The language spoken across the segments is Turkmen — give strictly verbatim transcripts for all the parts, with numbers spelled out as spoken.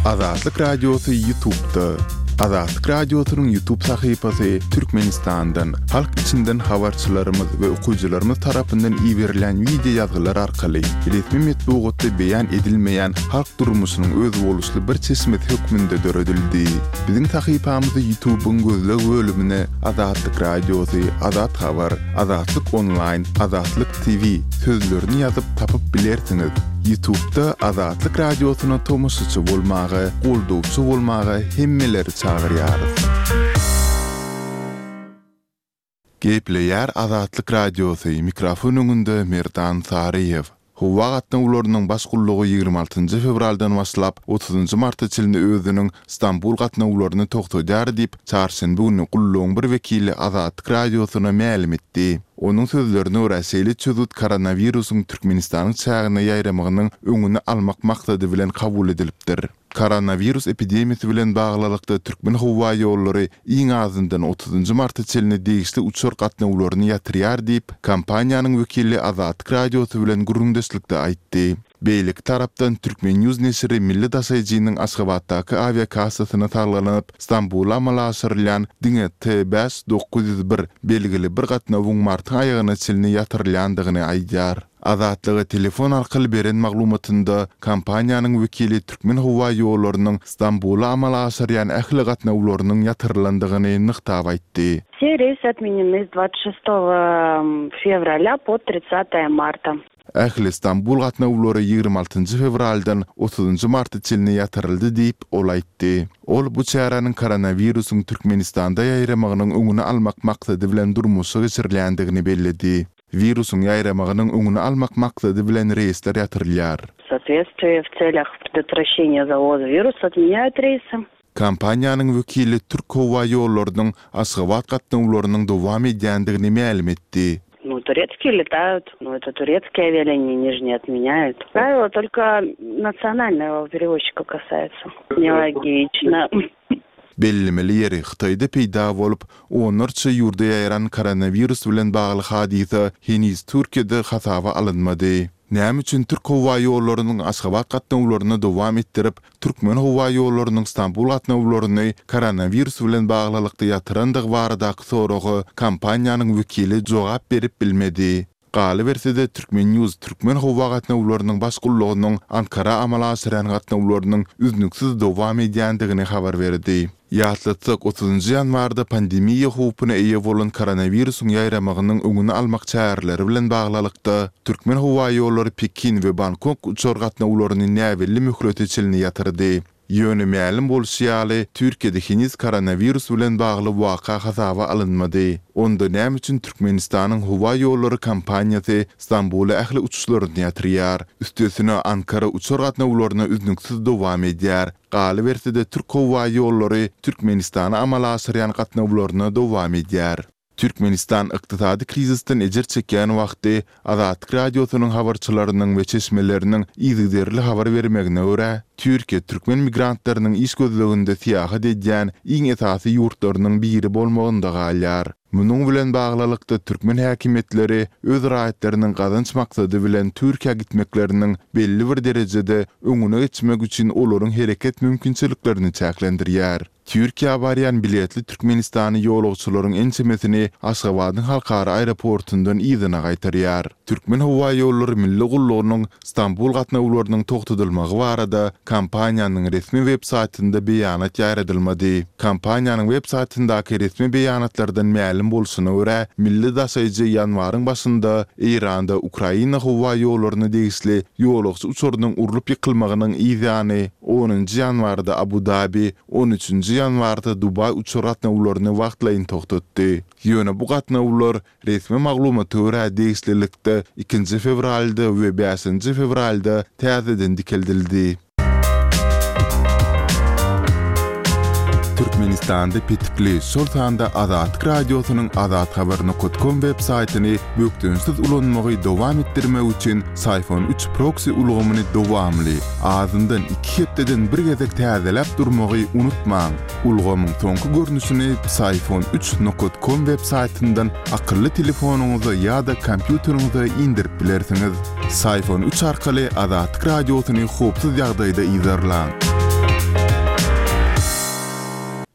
Azatlyk Radiosy YouTube'da. Azatlyk Radiosynyň YouTube sahypasy Türkmenistandan, halk içinden habarçylarymyz we okyjylarymyz tarapyndan iberilýän wideo ýazgylar arkaly resmi metbugatda beýan edilmeýän halk durmuşynyň özboluşly bir çeşmesi hökmünde döredildi. Biziň sahypamyzy YouTube'yň gözleg bölümine Azatlyk Radiosy, Azat Habar, Azatlyk Online, Azatlyk T V sözlerini ýazyp tapyp bilersiňiz. YouTube'da Azatlyk Radiosyna tomaşaçy bolmaga, goldawçy bolmaga hemmeleri çagyrýarys. Gepleýär Azatlyk Radiosy, mikrofon öňünde Merdan Saryýew. Howa gatnawlarynyň baş gullugy ýigrimi altynjy fewraldan başlap otuzynjy marta çenli özüniň Stambul gatnawlaryny togtadýar diýip, çarşenbe güni gullugyň bir wekili Azatlyk Radiosyna mälim etdi. Onuň sözlerine görä, şeýle çözgüt koronawirusyň Türkmenistanyň çägine ýaýramagynyň öňüni almak maksady bilen kabul edilipdir. Koronawirus epidemiýasy bilen baglylykda Türkmen howa ýollary iň azyndan otuzynjy marta çenli degişli uçar gatnawlaryny ýatyrýar diýip, kompaniýanyň wekili Azatlyk Radiosy bilen gürrüňdeşlikde aýtdy. Beýleki tarapdan Türkmen News neşiri milli daşaýjynyň Aşgabatdaky awiakassasyna salgylanyp, Stambula amala aşyrylýan diňe T bäş dokuz ýüz bir belgili bir gatnawyň martyň aýagyna çenli ýatyrylýandygyny aýdýar. Azatlyga telefon arkaly beren maglumatynda kompaniýanyň wekili Türkmen howa ýollarynyň Stambula amala aşyrýan ähli gatnawlarynyň ýatyrylandygyny nygtap aýtdy. Все рейсы отменены с двадцать шестого февраля по тридцатое марта. Ähli Stambul gatnawlary ýigrimi altynjy fewraldan otuzynjy marta çenli ýatyryldy diýip, ol aýtdy. Ol bu çäräniň koronawirusyň Türkmenistanda ýaýramagynyň öňüni almak maksady bilen durmuşa geçirilýändigini belledi. Wirusyň ýaýramagynyň öňüni almak maksady bilen reýsler ýatyrylýar. В соответствии в целях предотвращения завоза вируса отменяют рейсы. Kompaniýanyň wekili Türk howa ýollarynyň Aşgabat gatnawlarynyň dowam edýändigini mälim etdi. Ну, турецкие летают, но это турецкие авиалинии, они же не отменяют. Правило только национального перевозчика касается. Нелогично. Bellemeli ýeri, Hytaýda peýda bolup, onlarça ýurda ýaýran koronawirus bilen bagly hadysa heniz Türkiýede hasaba alynmady. Näme üçin Türk howa ýollarynyň Aşgabat gatnawlaryny dowam etdirip, Türkmen howa ýollarynyň Stambul gatnawlaryny koronawirus bilen baglylykda ýatyrandygy baradaky soraga kompaniýanyň wekili jogap berip bilmedi. Galyberse-de Türkmen News Türkmen howa gatnawlarynyň baş gullugynyň Ankara amala aşyrýan gatnawlarynyň üznüksiz dowam edýändigini habar berdi. Ýatlatsak, otuzynjy ýanwarda pandemiýa howpuna eýe bolan koronawirusyň ýaýramagynyň öňüni almak çäreleri bilen baglylykda Türkmen howa ýollary Pekin we Bangkok uçar gatnawlaryny näbelli möhlete çenli ýatyrdy. Ýöne mälim bolşy ýaly, Türkiýede heniz koronawirus bilen bagly waka hasaba alynmady. Onda näme üçin Türkmenistanyň howa ýollary kompaniýasy Stambula ähli uçuşlaryny ýatyrýar? Üstesine Ankara uçar gatnawlaryna üznüksiz dowam edýär. Galyberse-de Türk howa ýollary Türkmenistana amala aşyrýan gatnawlaryna dowam edýär. Türkmenistan ykdysady krizisden ejir çekýän wagty Azatlyk Radiosynyň habarçylarynyň we çeşmeleriniň yzygiderli habar bermegine görä, Türkiýe türkmen migrantlarynyň iş gözleginde syýahat edýän iň esasy ýurtlarynyň biri bolmagynda galýar. Munuň bilen baglylykda türkmen häkimiýetleri öz raýatlarynyň gazanç maksady bilen Türkiýä gitmekleriniň belli bir derejede öňüne geçmek üçin olaryň hereket mümkinçiliklerini çäklendirýär. Türkiýä barýan biletli Türkmenistany ýolagçylaryň ençemesini Aşgabadyň halkara aeroportundan yzyna gaýtarýar. Türkmen howa ýollary milli gullugynyň Stambul gatnawlarynyň togtadylmagy barada kompaniýanyň resmi web saýtynda beýanat ýaýradylmady. Kompaniýanyň web saýtyndaky resmi beýanatlardan mälim bolşuna görä, milli daşaýjy ýanwaryň başynda Eýranda Ukraina howa ýollaryna degişli ýolagçy uçarynyň urlup ýykylmagynyň yzýany onunjy ýanwarda Abu Dabi, on üçünji ýanwarda Dubaý uçar gatnawlaryny wagtlaýyn togtatdy. Ýöne bu gatnawlar resmi maglumata görä degişlilikde ikinji fewralda we bäşinji fewralda täzeden dikeldildi. Türkmenistanda petikli, şol sanda Azatlyk Radiosynyň azathabar nokta com web saýtyny bökdençsiz ulanmagy dowam etdirmek üçin Syfon üç proksi ulgamyny dowamly, azyndan iki hepdeden bir gezek täzeläp durmagy unutmaň. Ulgamyň soňky görnüşini Syfon üç nokta com web saýtyndan akylly telefonyňyza ýa-da kompýuteriňize indirip bilersiňiz. Syfon üç arkaly Azatlyk Radiosyny howpsuz ýagdaýda yzarlaň.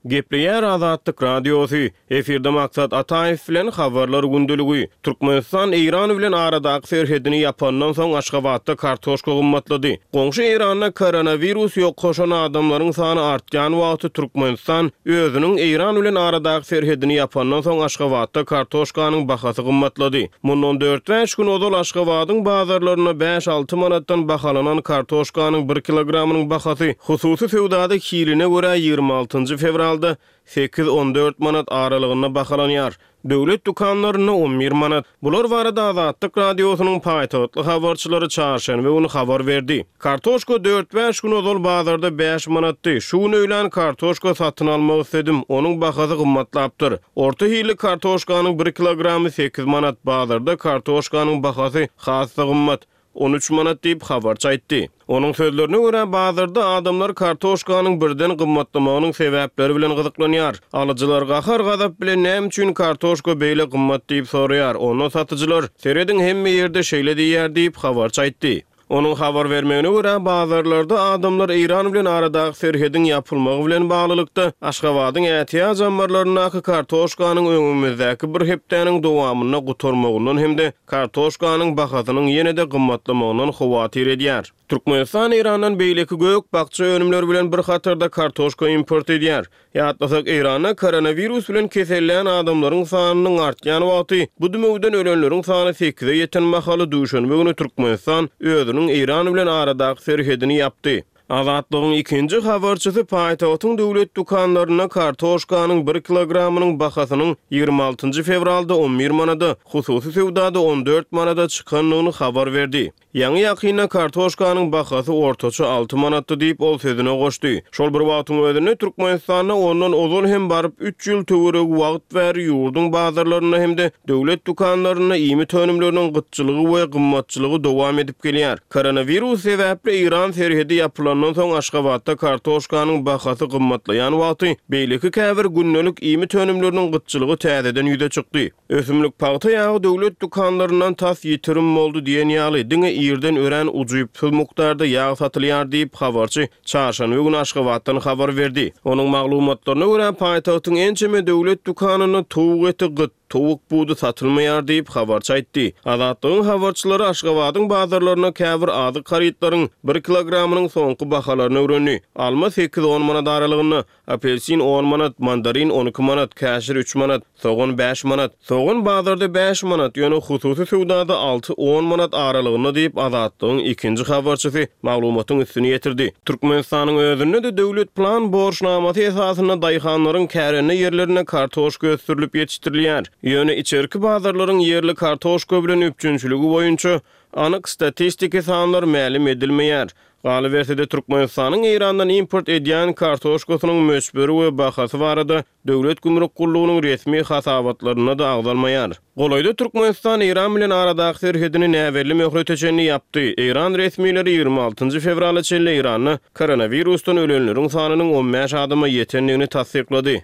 Gepleýär Azatlyk Radiosy, Efirde Maksat Ataýew bilen Habarlar gündeligi. Türkmenistan Eýran bilen aradaky serhedini ýapandan soň Aşgabatda kartoşka gymmatlady. Goňşy Eýranda koronawirus ýokaşan adamlaryň sany artýan wagty Türkmenistan özüniň Eýran bilen aradaky serhedini ýapandan soň Aşgabatda kartoşkanyň bahasy gymmatlady. Mundan dört-bäş gün ozal Aşgabadyň bazarlarynda bäş-alty manatdan bahalanan kartoşkanyň bir kilogramynyň bahasy hususy söwdada hiline görä ýigrimi altynjy fewralda sekiz-on dört manat aralygynda bahalanýar. Döwlet dükanlarynda on bir manat. Bular barada Azatlyk Radiosynyň paýtagtly habarçylary çarşenbe güni habar berdi. Kartoşka dört-bäş gün ozal bazarda bäş manatdy. Şu gün öýlän kartoşka satyn almak isledim. Onuň bahasy gymmatlapdyr. Orta hilli kartoşkanyň bir kilogramy sekiz manat. Bazarda kartoşkanyň bahasy has-da gymmat. On üç manat diýip, habarçy aýtdy. Onuň sözlerine görä, bazarda adamlar kartoşkanyň birden gymmatlamagynyň sebäpleri bilen gyzyklanýar. Alyjylar gahar-gazap bilen näme üçin kartoşka beýle gymmat diýip soraýar. Onda satyjylar, serediň hemme ýerde şeýle diýýär diýip, habarçy aýtdy. Onuň habar bermegine görä, bazarlarda adamlar Eýran bilen aradaky serhediň ýapylmagy bilen baglylykda Aşgabadyň ätiýaç ammarlaryndaky kartoşkanyň öňümizdäki bir hepdäniň dowamynda gutarmagyndan hem-de kartoşkanyň bahasynyň ýene-de gymmatlamagyndan howatyr edýär. Türkmenistan Eýrandan beýleki gök-bakja önümleri bilen bir hatarda kartoşka import edýär. Ýatlasak, Eýranda koronawirus bilen kesellän adamlaryň sanynyň artýan wagty, bu dümewden ölenleriň sany sekize ýeten mahaly duşenbe güni Türkmenistan özüniň Eýran bilen aradaky serhedini ýapdy. Azatlygyň ikinji habarçysy paýtagtyň döwlet dükanlarynda kartoşkanyň bir kilogramynyň bahasynyň ýigrimi altynjy fewralda on bir manada, hususy söwdada on dört manada çykandygyny habar berdi. Ýaňy ýakynda kartoşkanyň bahasy ortaça alty manatdy diýip, ol sözüne goşdy. Şol bir wagtyň özünde Türkmenistanda ondan ozal hem baryp üç ýyl töweregi wagt bäri ýurduň bazarlarynda hem-de döwlet dükanlarynda iýmit önümleriniň gytçylygy we gymmatçylygy dowam edip gelýär. Koronawirus sebäpli Eýran serhedi ýapylandan soň Aşgabatda kartoşkanyň bahasy gymmatlaýan wagty beýleki käbir gündelik iýmit önümleriniň gytçylygy täzeden ýüze çykdy. Ösümlik pagta ýagy döwlet dükanlaryndan tas ýitirim boldy diýen ýaly, diňe ýerden örän ujypsyz mukdarda ýag satylýar diýip, habarçy çarşenbe güni Aşgabatdan habar berdi. Onuň maglumatlaryna görä, paýtagtyň ençeme döwlet dükanynda towuk eti gyt, towuk budy satylmaýar diýip, habarçy aýtdy. Azatlygyň habarçylary Aşgabadyň bazarlarynda käbir azyk harytlaryň bir kilogramynyň soňky bahalaryny öwrendi. Alma sekiz-on manat aralygynda, apelsin on manat, mandarin on iki manat, käşir üç manat, sogan bäş manat. Sogan bazarda bäş manat, ýöne hususy söwdada alty-on manat aralygynda diýip, Azatlygyň ikinji habarçysy maglumatyň üstüni ýetirdi. Türkmenistanyň özünde-de döwlet plan borçnamasy esasynda daýhanlaryň kärende ýerlerinde kartoşka ösdürilip ýetişdirilýär. Ýöne içerki bazarlaryň ýerli kartoşka bilen üpjünçiligi boýunça anyk statistiki sanlar mälim edilmeýär. Galyberse-de Türkmenistanyň Eýrandan import edýän kartoşkasynyň möçberi we bahasy barada Döwlet gümrük gullugynyň resmi hasabatlarynda-da agzalmaýar. Golaýda Türkmenistan Eýran bilen aradaky serhedini näbelli möhlete çenli ýapdy. Eýran resmileri ýigrimi altynjy fewrala çenli Eýranda koronawirusdan ölenleriň sanynyň on bäş adama ýetendigini tassyklady.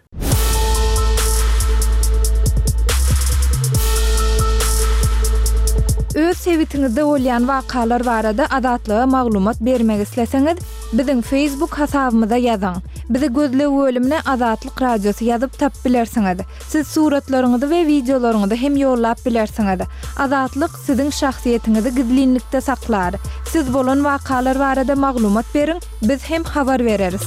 Öz sebitiňizde bolýan wakalar barada Azatlyga maglumat bermek isleseňiz, biziň Facebook hasabymyza ýazyň. Bizi gözleg bölümine Azatlyk Radiosy ýazyp tap bilersiňiz. Siz suratlaryňyzy we wideolaryňyzy hem ýollap bilersiňiz. Azatlyk siziň şahsyýetiňizi gizlinlikde saklar. Siz bolan wakalar barada maglumat beriň, biz hem habar bereris.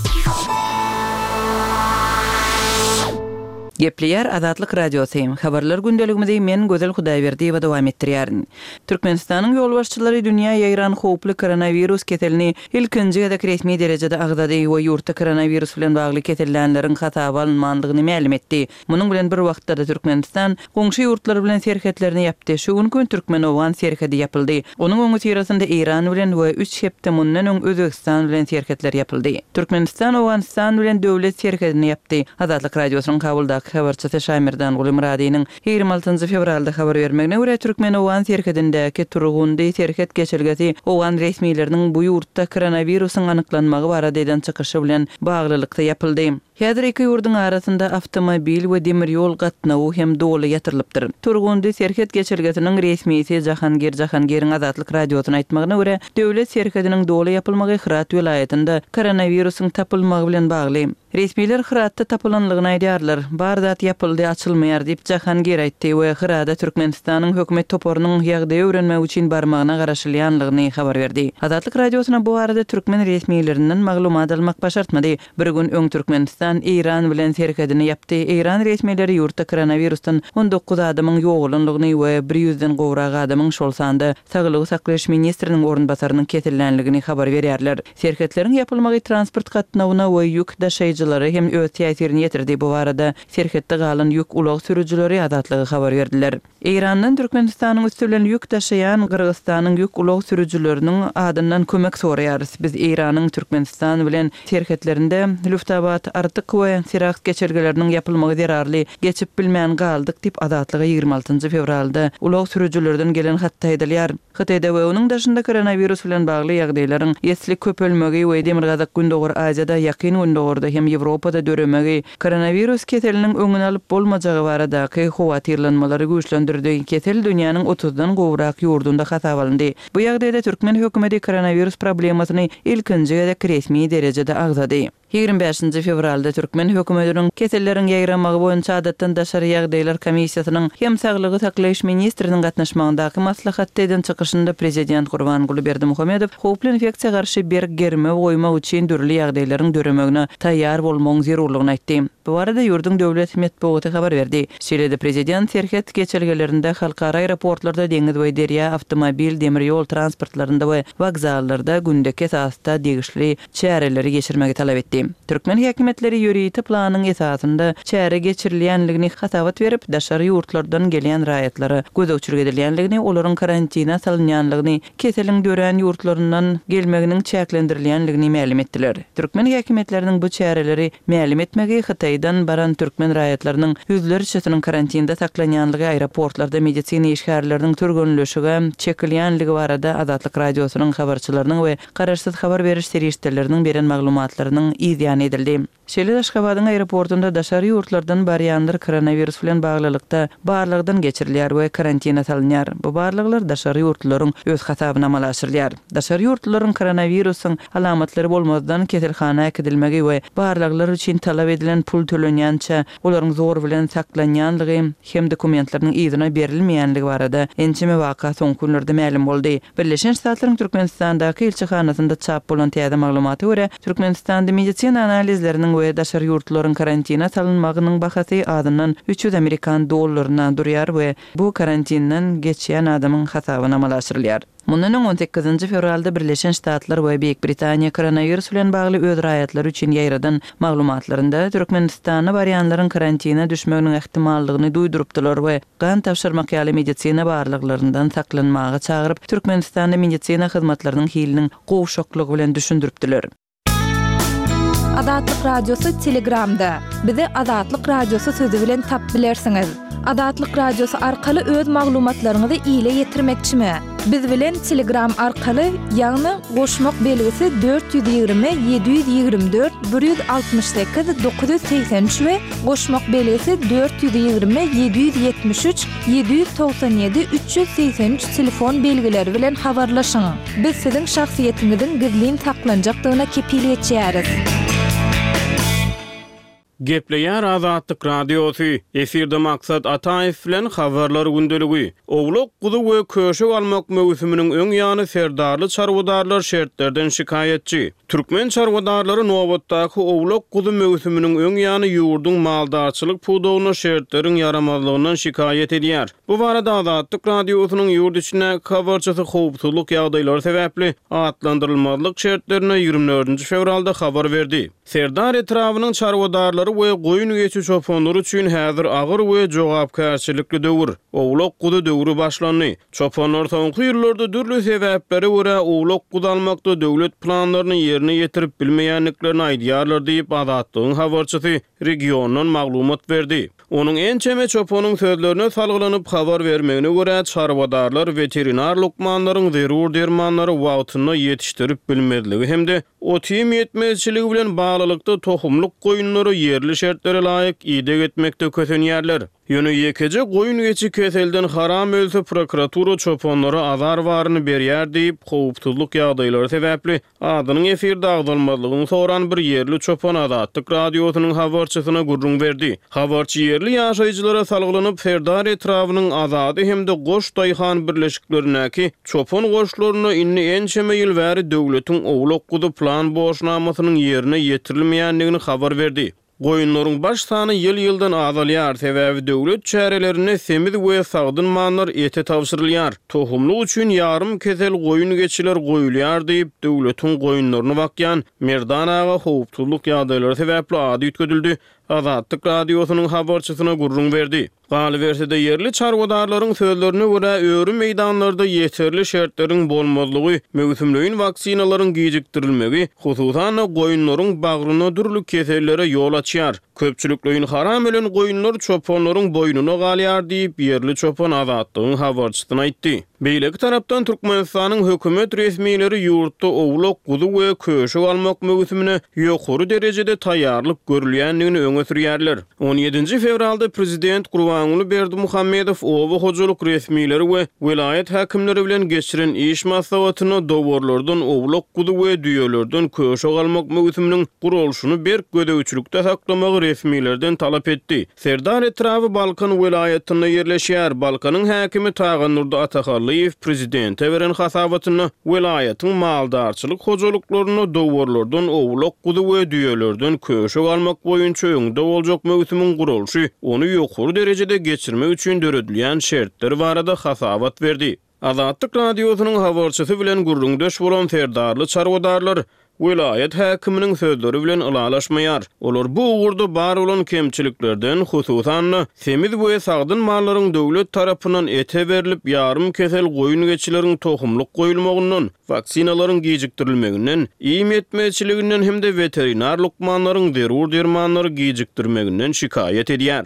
Gepleýär Azatlyk Radiosy. Habarlar gündeligimizi men Gözel Hudaýberdiýewa dowam etdirýärin. Türkmenistanyň ýolbaşçylary dünýä ýaýran howply koronawirus keselini ilkinji gezek resmi derejede agzady we ýurtda koronawirus bilen bagly kesellänleriň hasaba alynmandygyny mälim etdi. Munuň bilen bir wagtda-da Türkmenistan goňşy ýurtlar bilen serhetlerini ýapdy. Şu günki gün türkmen-owgan serhedi ýapyldy. Onuň öňüsyrasynda Eýran bilen we üç hepde mundan öň Özbegistan bilen serhetler ýapyldy. Türkmenistan Owganystan bilen döwlet serhedini ýapdy. Azatlyk Radiosynyň Kabuldaky habarçysy Şaýmerdanguly Myradynyň ýigrimi altynjy fewralda habar bermegine görä, türkmen-owgan serhedindäki Turgundy serhet geçelgesi owgan resmileriniň bu ýurtda koronawirusyň anyklanmagy barada eden çykyşy bilen baglylykda ýapyldy. Häzir iki ýurduň arasynda awtomobil we demir ýol gatnawy hem doly ýatyrylypdyr. Turgundy serhet geçelgesiniň resmisi Jahangir Jahangiriň Azatlyk Radiosyna aýtmagyna görä, döwlet serhediniň doly ýapylmagy Hyrat welaýatynda koronawirusyň tapylmagy bilen bagly. Resmiler Hyratda tapylanlygyny aýdýarlar. Bar zat ýapyldy, açylmaýar diýip, Jahangir aýtdy we Hyrada Türkmenistanyň hökümet toparynyň ýagdaýy öwrenmek üçin barmagyna garaşylýanlygyny habar berdi. Azatlyk Radiosyna bu barada türkmen resmilerinden maglumat almak başartmady. Bir gün öň Türkmenistan Eýran bilen serhedini ýapdy. Eýran resmileri ýurtda koronawirusdan on dokuz adamyň ýogalanlygyny we bir ýüzden gowrak adamyň, şol sanda saglygy saklaýyş ministriniň orunbasarynyň kesellänligini habar berýärler. Serhetleriň ýapylmagy transport gatnawyna we ýük daşaýjylara hem öz täsirini ýetirdi. Bu barada serhetde galan ýük ulag sürüjileri Azatlyga habar berdiler. Eýrandan Türkmenistanyň üsti bilen ýük daşaýan Gyrgyzystanyň ýük ulag sürüjileriniň adyndan kömek soraýarys. Biz Eýranyň Türkmenistan bilen serhetlerinde Lüftabat, Artyk we Siraks geçelgeleriniň ýapylmagy zerarly geçip bilmän galdyk diýip, Azatlyga ýigrimi altynjy fewralda ulag sürüjilerden gelen hatda aýdylýar. Hytaýda we onuň daşynda koronawirus bilen bagly ýagdaýlaryň esli köpelmegi we Demirgazyk-Gündogar Aziýada, Ýakyn Gündogarda hem Ýewropada döremegi koronawirus keseliniň öňüni alyp bolmajagy baradaky howatyrlanmalary güýçlendirdi. Kesel dünýäniň otuzdan gowrak ýurdunda hasaba alyndy. Bu ýagdaýda türkmen hökümeti koronawirus problemasyny ilkinji gezek resmi derejede agzady. Ýigrimi bäşinji fewralda türkmen hökümetiniň Keselleriň ýaýramagy boýunça adatdan daşary ýagdaýlar komissiýasynyň hem saglygy saklaýyş ministriniň gatnaşmagyndaky maslahatda eden çykyşynda prezident Gurbanguly Berdimuhamedow howply infeksiýa garşy berk germew goýmak üçin dürli ýagdaýlaryň döremegine taýýar bolmagyň zerurlygyny aýtdy. Bu barada ýurduň döwlet metbugaty habar berdi. Şeýle-de prezident serhet geçelgelerinde, halkara aeroportlarda, deňiz we derýa, awtomobil, demir ýol transportlarynda we wokzallarda gündeki esasda degişli çäreleri geçirmegi talap etdi. Türkmen häkimiýetleri ýörite planyň esasynda çäre geçirilýänligini hasabat berip, daşary ýurtlardan gelýän raýatlara gözegçilik edilýänligini, olaryň karantina salynýanlygyny, keseliň dörän ýurtlaryndan gelmeginiň çäklendirilýänligini mälim etdiler. Türkmen häkimiýetleriniň bu çäreleri mälim etmegi Hytaýdan baran türkmen raýatlarynyň ýüzlerçesiniň karantinde saklanýanlygy, aeroportlarda medisina işgärleriniň türgenleşige çekilýänligi barada Azatlyk Radiosynyň habarçylarynyň we garaşsyz habar beriş serişdeleriniň beren maglumatlarynyň yz ýany edildi. Şeýle-de Aşgabadyň aeroportunda daşary ýurtlardan barýanlar koronawirus bilen baglylykda barlagdan geçirilýär we karantina salynýar. Bu barlaglar daşary ýurtlularyň öz hasabyna amala aşyrylýar. Daşary ýurtlularyň koronawirusyň alamatlary bolmazdan keselhana äkidilmegi we barlaglar üçin talap edilen pul tölenýänçä olaryň zor bilen saklanýanlygy hem dokumentleriniň yzyna berilmeýänligi barada ençeme waka soňky günlerde mälim boldy. Birleşen Ştatlaryň Türkmenistandaky ilçihanasynda çap bolan täze maglumata görä, Türkmenistanda medisina analizleriniň we daşary ýurtlaryň karantina salynmagynyň bahasy azyndan üç ýüz amerikan dollaryna durýar we bu karantinden geçýän adamyň hasabyna amala aşyrylýar. Mundan öň on sekizinji fewralda Birleşen Ştatlar we Beýik Britaniýa koronawirus bilen bagly öz raýatlary üçin ýaýradan maglumatlarynda Türkmenistana barýanlaryň karantina düşmeginiň ähtimallygyny duýdurypdylar we gan tabşyrmak ýaly medisina barlaglaryndan saklanmaga çagyryp, Türkmenistanda medisina hyzmatlarynyň hiliniň gowşaklygy bilen düşündiripdiler. Azatlyk Radiosy Telegramda. Bizi Azatlyk Radiosy sözi bilen tap bilersiňiz. Azatlyk Radiosy arkaly öz maglumatlaryňyzy ile ýetirmekçimi? Biz bilen Telegram arkaly, ýagny goşmak belgisi dört ýüz ýigrimi, ýedi ýüz ýigrimi dört, bir ýüz altmyş sekiz, dokuz ýüz segsen üç we goşmak belgisi dört ýüz ýigrimi, ýedi ýüz ýetmiş üç, ýedi ýüz togsan ýedi, üç ýüz segsen üç telefon belgileri bilen habarlaşyň. Biz siziň şahsyýetiňiziň gizlin saklanjakdygyna kepil geçýäris. Gepleýär Azatlyk Radiosy, efirde Maksat Ataýew bilen habarlar gündeligi. Owlak guzy we köşek almak möwsüminiň öň ýany serdarly çarwadarlar şertlerden şikaýatçy. Türkmen çarwadarlary nobatdaky owlak guzy möwsüminiň öň ýany ýurduň maldarçylyk pudagyna şertleriň ýaramazlygyndan şikaýat edýär. Bu barada Azatlyk Radiosynyň ýurt içindäki habarçysy howpsuzlyk ýagdaýlary sebäpli atlandyrylmazlyk şertlerine ýigrimi dördünji fewralda habar berdi. Serdar etrabynyň çarwadarlary we goýun geçi çopanlary üçin häzir agyr we jogapkärçilikli döwür, owlak guzy döwri başlandy. Çopanlar soňky ýyllarda dürli sebäplere görä owlak guzy almakda döwlet planlaryny ýerine ýetirip bilmeýändiklerini aýdýarlar diýip Azatlygyň habarçysy regiondan maglumat berdi. Onuň ençeme çopanyň sözlerine salgylanyp habar bermegine görä çarwadarlar weterinar lukmanlaryň zerur dermanlary wagtynda ýetişdirip bilmezligi hem-de Ot-iým ýetmezçiligi bilen baglylykda tohumlyk goýunlara ýerli şertlere laýyk ideg etmekde kösenýärler. Ýöne ýekeje goýun-geçi keselden haram ölse prokuratura çopanlara azar baryny berýär diýip, howpsuzlyk ýagdaýlary sebäpli adynyň efirde agzalmazlygyny soran bir ýerli çopan Azatlyk Radiosynyň habarçysyna gürrüň berdi. Habarçy ýerli ýaşaýjylara salgylanyp, Serdar etrabynyň Azady hem-de Goş daýhan birleşiklerindäki çopan goşlarynda indi ençeme ýyl bäri döwletiň owlak-guzy plan borçnamasynyň ýerine ýetirilmeýändigini habar berdi. Goýunlaryň baş sany ýyl-ýyldan azalýar, sebäbi döwlet çärelerinde semiz we sagdyn mallar ete tabşyrylýar. Tohumlyk üçin ýarym kesel goýun-geçiler goýulýar diýip, döwletiň goýunlaryny bakýan Merdan aga howpsuzlyk ýagdaýlary sebäpli ady üýtgedildi, Azatlyk Radiosynyň habarçysyna gürrüň berdi. Galyberse-de, ýerli çarwadarlaryň sözlerine görä, öri meýdanlarda ýeterli şertleriň bolmazlygy, möwsümleýin waksinalaryň gijikdirilmegi, hususan-da, goýunlaryň bagryna dürli kesellere ýol açýar. Köpçülikleýin haram ölen goýunlar çopanlaryň boýnuna galýar diýip, ýerli çopan Azatlygyň habarçysyna aýtdy. Beýleki tarapdan, Türkmenistanyň hökümet resmileri ýurtda owlak, guzy we köşek almak möwsümine ýokary derejede taýýarlyk görülýändigini öňe sürýärler. On ýedinji fewralda prezident Gurbanguly Berdimuhamedow oba hojalyk resmileri we welaýat häkimleri bilen geçiren iş maslahatynda dowarlardan owlak-guzy we düýelerden köşek almak möwsüminiň guralyşyny berk gözegçilikde saklamagy resmilerden talap etdi. Serdar etraby Balkan welaýatynda ýerleşýär. Balkanyň häkimi Tagandurdy Atahallyýew prezidente beren hasabatynda welaýatyň maldarçylyk hojalyklarynda dowarlardan owlak-guzy we düýelerden köşek almak boýunça öňde boljak möwsümiň guralyşy, ony ýokary derejede geçirmek üçin döredilýän şertler barada hasabat berdi. Azatlyk Radiosynyň habarçysy bilen gürrüňdeş bolan serdarly çarwadarlar welaýat häkiminiň sözleri bilen ylalaşmaýar. Olar bu ugurda bar bolan kemçiliklerden, hususan-da, semiz we sagdyn mallaryň döwlet tarapyndan ete berlip, ýarym kesel goýun-geçileriň tohumlyk goýulmagyndan, waksinalaryň gijikdirilmeginden, iým ýetmezçiliginden hem-de weterinar lukmanlaryň zerur dermanlary gijikdirmeginden şikaýat edýär.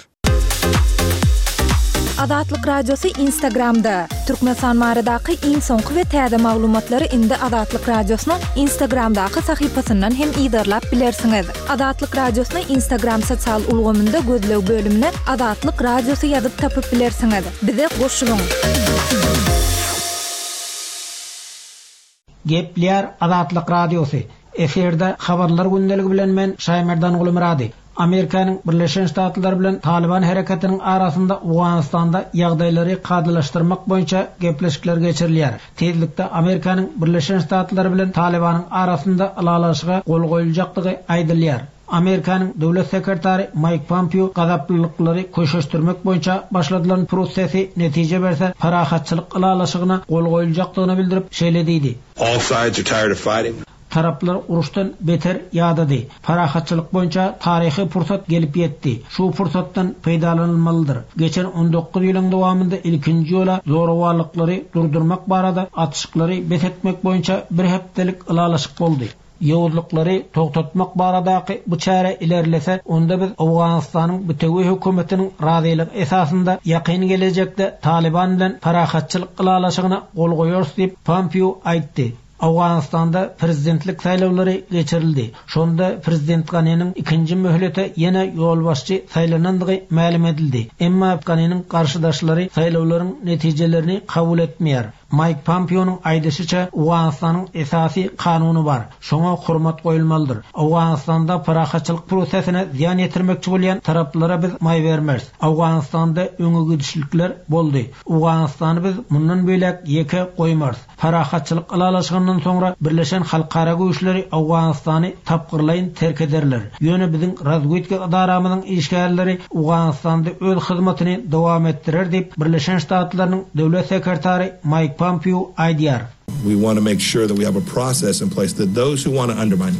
Azatlyk Radiosy Instagramda! Türkmenistan baradaky iň soňky we täze maglumatlary indi Azatlyk Radiosynyň Instagramdaky sahypasyndan hem yzarlap bilersiňiz. Azatlyk Radiosyny Instagram sosial ulgamynda gözleg bölümine Azatlyk Radiosy ýazyp tapyp bilersiňiz. Bize goşulyň! Gepleýär Azatlyk Radiosy. Efirde Habarlar gündeligi bilen men Şaýmerdan Gulumyrady. Amerikanyň Birleşen Ştatlary bilen Talyban hereketiniň arasynda Owganystanda ýagdaýlary kadalaşdyrmak boýunça gepleşikler geçirilýär. Tizlikde Amerikanyň Birleşen Ştatlary bilen Talybanyň arasynda ylalaşyga gol goýuljakdygy aýdylýar. Amerikanyň Döwlet sekretary Maýk Pompeo gazaplylyklary köşeşdirmek boýunça başladylan prosesi netije berse, parahatçylyk ylalaşygyna gol goýuljakdygyny bildirip, şeýle diýdi. All sides are tired of fighting. Taraplar uruşdan beter ýadady. Parahatçylyk boýunça taryhy pursat gelip ýetdi. Şu pursatdan peýdalanylmalydyr. Geçen on dokuz ýylyň dowamynda ilkinji ýola zorawanlyklary durdurmak barada atyşyklary bes etmek boýunça bir hepdelik ylalaşyk boldy. Ýowuzlyklary togtatmak baradaky bu çäre ilerlese, onda biz Owganystanyň bitewi hökümetiniň razylygy esasynda ýakyn gelejekde Talyban bilen parahatçylyk ylalaşygyna gol goýarys diýip, Pompeo aýtdy. Owganystanda prezidentlik saýlawlary geçirildi. Şonda prezident Ganiniň ikinji möhlete ýene ýolbaşçy saýlanandygy mälim edildi. Emma Ganiniň garşydaşlary saýlawlaryň netijelerini kabul etmeýär. Maýk Pompeonyň aýdyşyça, Owganystanyň esasy kanuny bar. Şoňa hormat goýulmalydyr. Owganystanda parahatçylyk prosesine zyýan ýetirmekçi bolýan taraplara biz maý bermeris. Owganystanda öňe gidişlikler boldy. Owganystany biz mundan beýläk ýeke goýmarys. Parahatçylyk ylalaşygyndan soňra Birleşen Halkara Güýçleri Owganystany tapgyrlaýyn terk ederler. Ýöne biziň razwedka ydaramyzyň işgärleri Owganystanda öz hyzmatyny dowam etdirer diýip, Birleşen Ştatlarynyň Döwlet sekretary Maýk Pompeo aýdýar. We want to make sure that we have a process in place that those who want to undermine,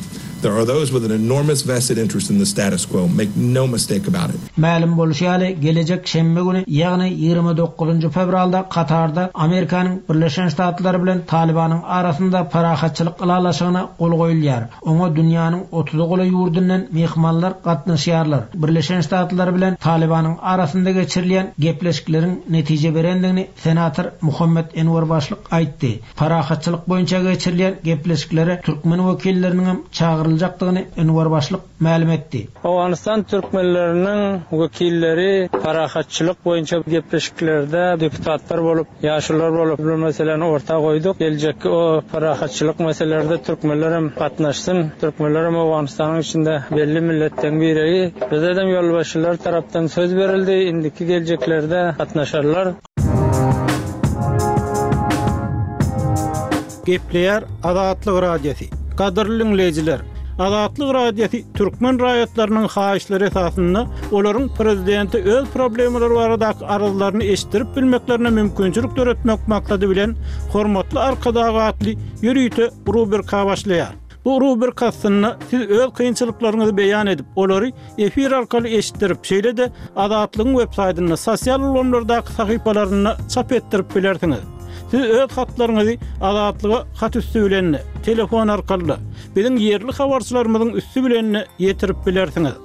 There are those with an enormous vested interest in the status quo, make no mistake about it. Mälim bolşy ýaly, gelejek şenbe güni, ýagny ýigrimi dokuzynjy fewralda Katarda Amerikanyň Birleşen Ştatlary bilen Talybanyň arasynda parahatçylyk ylalaşygyna gol goýulýar. Oňa dünýäniň otuza golaý ýurdundan myhmanlar gatnaşýarlar. Birleşen Ştatlar bilen Talybanyň arasynda geçirilýän gepleşikleriň netije berendigini senator Muhammet Enwer Başlyk aýtdy. Parahatçylyk boýunça geçirilýän gepleşiklere türkmen wekilleriniň hem çagyryljakdygyny Enwer Başlyk mälim etdi. Owganystan türkmenleriniň wekilleri parahatçylyk boýunça gepleşiklerde deputatlar bolup, ýaşulular bolup bu meseläni orta goýduk. Geljekki o parahatçylyk meselelerde türkmenler hem gatnaşsyn. Türkmenler hem Owganystanyň içinde belli milletleň biregi. Bize hem ýolbaşçylar tarapdan söz berildi. Indiki geljeklerde gatnaşarlar. Gepleýär Azatlyk Radiosy. Gadyrly diňleýjiler, Azatlyk Radiosy türkmen raýatlarynyň haýyşlary esasynda olaryň prezidente öz problemalary baradaky arzlaryny eşitdirip bilmeklerine mümkinçilik döretmek maksady bilen Hormatly Arkadag atly ýörite rubrika başlaýar. Bu rubrika astynda siz öz kynçylyklaryňyzy beýan edip, olary efir arkaly eşitdirip, şeýle-de Azatlygyň web saýtynda, sosial ulgamlardaky sahypalarynda çap etdirip bilersiňiz. Siz öz hatlaryňyzy Azatlyga hat üsti bilen-de, telefon arkaly-da, biziň ýerli habarçylarymyzyň üsti bilen-de ýetirip bilersiňiz.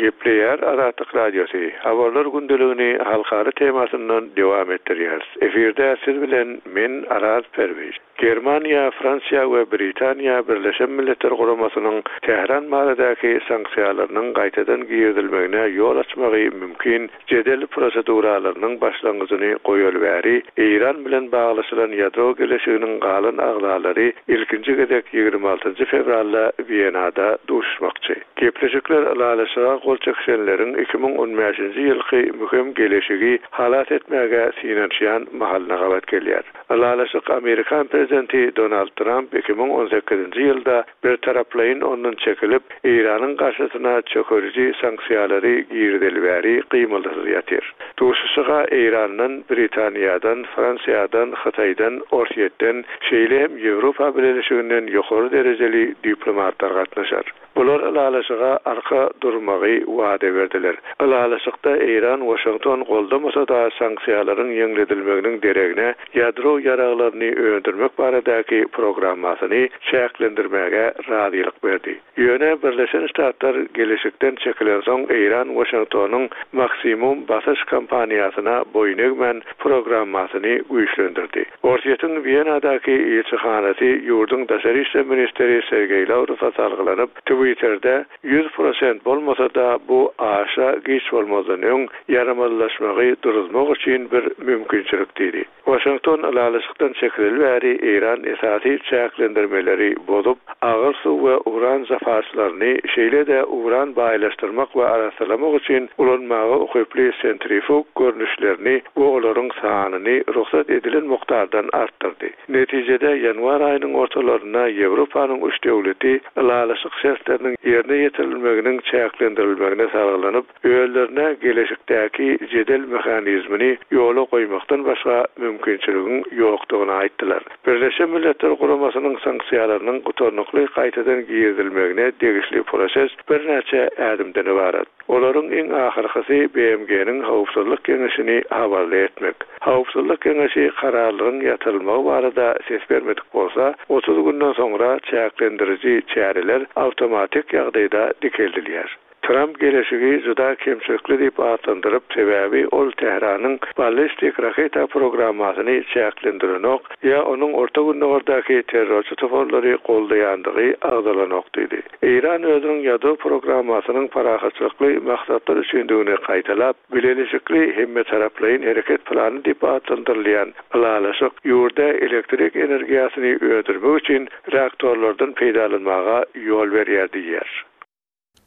Gepleýär Azatlyk Radiosy. Habarlar gündeligini halkara temasyndan dowam etdirýäris. Efirde siz bilen men Araz Perwiz. Germaniýa, Fransiýa we Britaniýa Birleşen Milletler Guramasynyň Tähran baradaky sanksiýalarynyň gaýtadan girizilmegine ýol açmagy mümkin jedel proseduralarynyň başlangyjyny goýaly bäri Eýran bilen baglaşylan ýadro geleşiginiň galan agzalary ilkinji gezek ýigrimi altynjy fewralda Wienada duşuşmakçy. Gepleşikler ylalaşyga gol çekişenleriň iki müň on bäşinji ýylky möhüm geleşigi halas etmäge synanyşýan mahalyna gabat gelýär. Ylalaşyk Amerikan prezidenti Donald Tramp iki müň on sekizinji ýylda birtaraplaýyn ondan çekilip, Eýranyň garşysyna çökeriji sanksiýalary girizeli bäri gymyldysyz ýatyr. Duşuşyga Eýrandan, Britaniýadan, Fransiýadan, Hytaýdan, Orsýetden, şeýle hem Ýewropa Bileleşiginden ýokary derejeli diplomatlar gatnaşar. Bular ylalaşyga arka durmagy wada berdiler. Ylalaşykda Eýran Waşington goldamasa-da sanksiýalaryň ýeňledilmeginiň deregine ýadro ýaraglaryny öndürmek baradaky programmasyny çäklendirmäge razylyk berdi. Ýöne Birleşen Ştatlar geleşikden çekilen soň Eýran Waşingtonyň maksimum basyş kampaniýasyna boýun egmän programmasyny güýçlendirdi. Orsýetiň Wienadaky ilçihanasy ýurduň daşary işler ministri Sergeý Lawrowa salgylanyp, Twitter'de ýüz prosent bolmasa-da bu aşa giç bolmazdan öň ýaramazlaşmagy duruzmak üçin bir mümkinçilik diýdi. Waşington ylalaşykdan çekileli bäri Eýran esasy çäklendirmeleri bozup, agyr suw we uran zapaslaryny, şeýle-de uran baýlaşdyrmak we arassalamak üçin ulanmaga ukyply sentrifug görnüşlerini we olaryň sanyny rugsat edilen mukdardan artdyrdy. Netijede ýanwar aýynyň ortalarynda Ýewropanyň üç döwleti ylalaşyk şertleriniň ýerine ýetirilmeginiň çäklendirilmegine salgylanyp, özlerine geleşikdäki jedel mehanizmini ýola goýmakdan başga mümkinçiligiň ýokdugyny aýtdylar. Birleşen Milletler Guramasynyň sanksiýalarynyň gutarnykly gaýtadan girizilmegine degişli proses birnäçe ädimden ybarat. Olaryň iň ahyrkysy B M G-niň Howpsuzlyk Geňeşini habarly etmek. Howpsuzlyk Geňeşi kararlaryň ýatyrylmagy barada ses bermedik bolsa, otuz günden soňra çäklendiriji çäreler awtomatik ýagdaýda dikeldilýär. Tramp geleşigi juda kemçilikli diýip atlandyryp, sebäbi ol Tähranyň ballistik raketa programmasyny çäklendirenok ýa onuň Orta Gündogardaky terrorçy toparlary goldaýandygy agzalanok diýdi. Eýran özüniň ýadro programmasynyň parahatçylykly maksatlar üçindigini gaýtalap, bileleşikli hemmetaraplaýyn hereket plany diýip atlandyrylýan ylalaşyk ýurda elektrik energiýasyny öndürmek üçin reaktorlardan peýdalanmaga ýol berýär diýýär.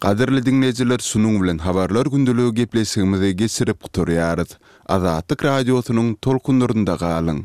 Gadyrly diňleýjiler, şunuň bilen habarlar gündeligi gepleşigimizi geçirip gutarýarys. Azatlyk radiosynyň tolkunlarynda galyň.